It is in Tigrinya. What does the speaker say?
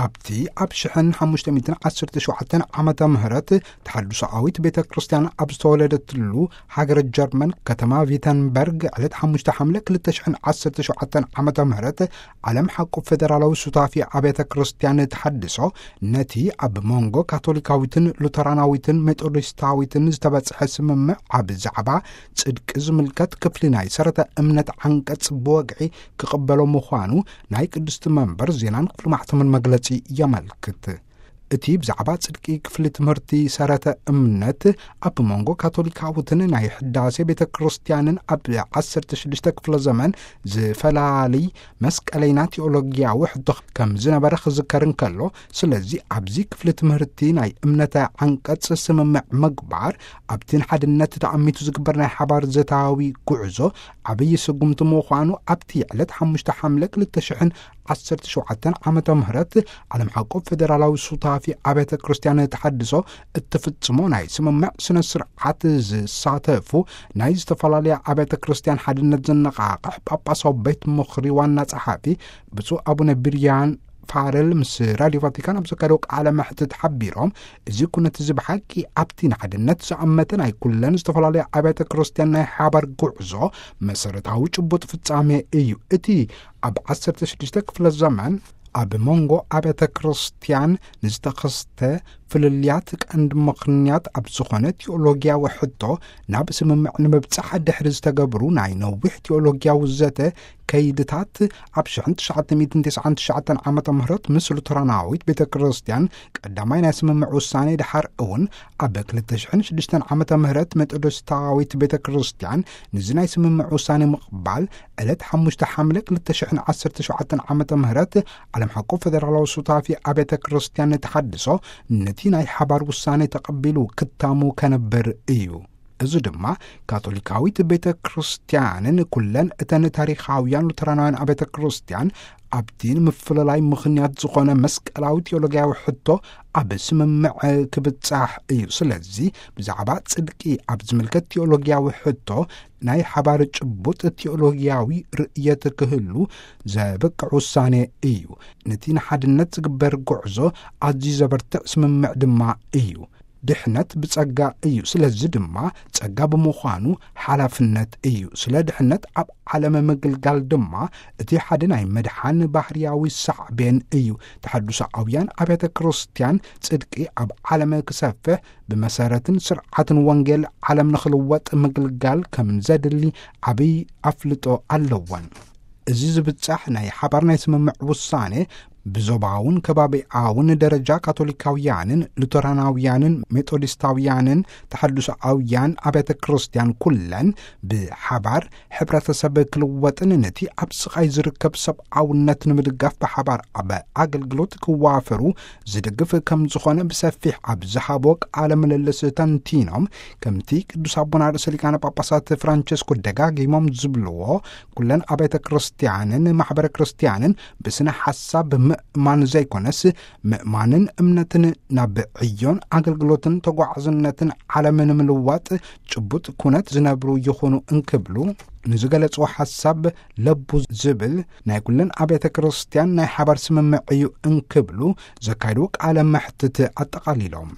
ኣብቲ ኣብ ሽሕን ሓሙሽተ ሚእትን ዓሰርተ ሸውዓተን ዓመተ ምህረት ተሓድሶኣዊት ቤተ ክርስቲያን ኣብ ዝተወለደትሉ ሃገረ ጀርመን፣ ከተማ ቪተንበርግ፣ ዕለት ሓሙሽተ ሓምለ ክልተ ሽሕን ዓሰርተ ሸውዓተን ዓመተ ምህረት፣ ዓለም ሓቁ ፌደራላዊ ሱታፊ ኣብያተ ክርስቲያን ተሓድሶ፣ ነቲ ኣብ መንጎ ካቶሊካዊትን ሉተራናዊትን ሜቶዲስታዊትን ዝተበጽሐ ስምምዕ ኣብ ዛዕባ ጽድቂ ዝምልከት ክፍሊ ናይ ሰረተ እምነት ዓንቀጽ ብወግዒ ክቕበሎ ምዃኑ ናይ ቅድስቲ መንበር ዜናን ክፍሊ ማሕተምን መግለጺ የመልክት። እቲ ብዛዕባ ጽድቂ ክፍሊ ትምህርቲ ሰረተ እምነት ኣብ መንጎ ካቶሊካውትን ናይ ሕዳሴ ቤተ ክርስቲያንን ኣብ ዓሰርተ ሽዱሽተ ክፍለ ዘመን ዝፈላሊ መስቀለይና ቴዎሎጊያዊ ሕቶ ከም ዝነበረ ክዝከር እንከሎ፣ ስለዚ ኣብዚ ክፍሊ ትምህርቲ ናይ እምነተ ዓንቀጽ ስምምዕ ምግባር ኣብቲ ንሓድነት ተኣሚቱ ዝግበር ናይ ሓባር ዘታዊ ጉዕዞ ዓብዪ ስጉምቲ ምዃኑ ኣብቲ ዕለት ሓሙሽተ ሓምለ ክልተ ሽሕን ዓሰርተ ሸውዓተን ዓመተ ምህረት ዓለም ሓቆ ፌደራላዊ ሱታፊ ኣብያተ ክርስቲያን ተሓድሶ እትፍጽሞ ናይ ስምምዕ ስነ ስርዓት ዝሳተፉ ናይ ዝተፈላለያ ኣብያተ ክርስቲያን ሓድነት ዘነቓቕሕ ጳጳሳዊ ቤት ምኽሪ ዋና ጸሓፊ ብፁዕ ኣቡነ ብርያን ፋረል ምስ ራዲዮ ቫቲካን ኣብ ዘካየደው ቃለ መሕትት ሓቢሮም፣ እዚ ኩነት እዚ ብሓቂ ኣብቲ ንሓድነት ዝኣመተ ናይ ኩለን ዝተፈላለያ ኣብያተ ክርስቲያን ናይ ሓባር ጉዕዞ መሰረታዊ ጭቡጥ ፍጻሜ እዩ። እቲ ኣብ ዓሰርተ ሽዱሽተ ክፍለ ዘመን ኣብ መንጎ ኣብያተ ክርስቲያን ንዝተኸስተ ፍልልያት ቀንዲ ምኽንያት ኣብ ዝኾነ ቴዎሎጊያዊ ሕቶ ናብ ስምምዕ ንምብጻሕ ድሕሪ ዝተገብሩ ናይ ነዊሕ ቴዎሎጊያዊ ዘተ ከይድታት፣ ኣብ ሽሕን ትሽዓተ ሚእትን ተስዓን ትሽዓተን ዓመተ ምህረት ምስ ሉተራናዊት ቤተ ክርስቲያን ቀዳማይ ናይ ስምምዕ ውሳኔ፣ ድሓር እውን ኣብ ክልተ ሽሕን ሽዱሽተን ዓመተ ምህረት ሜቶዲስታዊት ቤተ ክርስቲያን ንዚ ናይ ስምምዕ ውሳኔ ምቕባል፣ ዕለት ሓሙሽተ ሓምለ ክልተ ሽሕን ዓሰርተ ሸውዓተን ዓመተ ምህረት ዓለም ሓቆ ፌደራላዊ ሱታፊ ኣብያተ ክርስቲያን ተሓድሶ ነቲ ናይ ሓባር ውሳኔ ተቐቢሉ ክታሙ ከነብር እዩ። እዚ ድማ ካቶሊካዊት ቤተ ክርስቲያንን ኩለን እተን ታሪኻውያን ሉተራናውያን ኣብያተ ክርስቲያን ኣብቲ ንምፍልላይ ምኽንያት ዝኾነ መስቀላዊ ቴዎሎጊያዊ ሕቶ ኣብ ስምምዕ ክብጻሕ እዩ። ስለዚ ብዛዕባ ጽድቂ ኣብ ዝምልከት ቴዎሎጊያዊ ሕቶ ናይ ሓባር ጭቡጥ ቴዎሎጊያዊ ርእየት ክህሉ ዘብቅዕ ውሳኔ እዩ። ነቲ ንሓድነት ዝግበር ጉዕዞ ኣዝዩ ዘበርትዕ ስምምዕ ድማ እዩ። ድሕነት ብጸጋ እዩ። ስለዚ ድማ ጸጋ ብምዃኑ ሓላፍነት እዩ። ስለ ድሕነት ኣብ ዓለም ምግልጋል ድማ እቲ ሓደ ናይ መድሓን ባህርያዊ ሳዕቤን እዩ። ተሓድሶኣውያን ኣብያተ ክርስቲያን ጽድቂ ኣብ ዓለም ክሰፍሕ ብመሰረትን ስርዓትን ወንጌል ዓለም ንኽልወጥ ምግልጋል ከም ዘድሊ ዓብይ ኣፍልጦ ኣለወን። እዚ ዝብጻሕ ናይ ሓባር ናይ ስምምዕ ውሳኔ ብዞባውን ከባቢኣውን ደረጃ ካቶሊካውያንን ሉተራናውያንን ሜቶዲስታውያንን ተሓድሶኣውያን ኣብያተ ክርስቲያን ኩለን ብሓባር ሕብረተሰብ ክልወጥን ነቲ ኣብ ስቓይ ዝርከብ ሰብኣውነት ንምድጋፍ ብሓባር ኣብ ኣገልግሎት ክዋፈሩ ዝድግፍ ከም ዝኾነ ብሰፊሕ ኣብ ዝሃቦ ቃለ ምልልስ ተንቲኖም፣ ከምቲ ቅዱስ ኣቦና ርእሰ ሊቃነ ጳጳሳት ፍራንቸስኮ ደጋጊሞም ዝብልዎ፣ ኩለን ኣብያተ ክርስቲያንን ማሕበረ ክርስቲያንን ብስነ ሓሳብ ምእማን ዘይኮነስ፣ ምእማንን እምነትን ናብ ዕዮን ኣገልግሎትን ተጓዓዝነትን ዓለም ንምልዋጥ ጭቡጥ ኩነት ዝነብሩ ይኹኑ እንክብሉ፣ ንዝገለጽዎ ሓሳብ ለቡ ዝብል ናይ ኩለን ኣብያተ ክርስቲያን ናይ ሓባር ስምምዕ እዩ እንክብሉ ዘካየድዎ ቃለ መሕትት ኣጠቓሊሎም።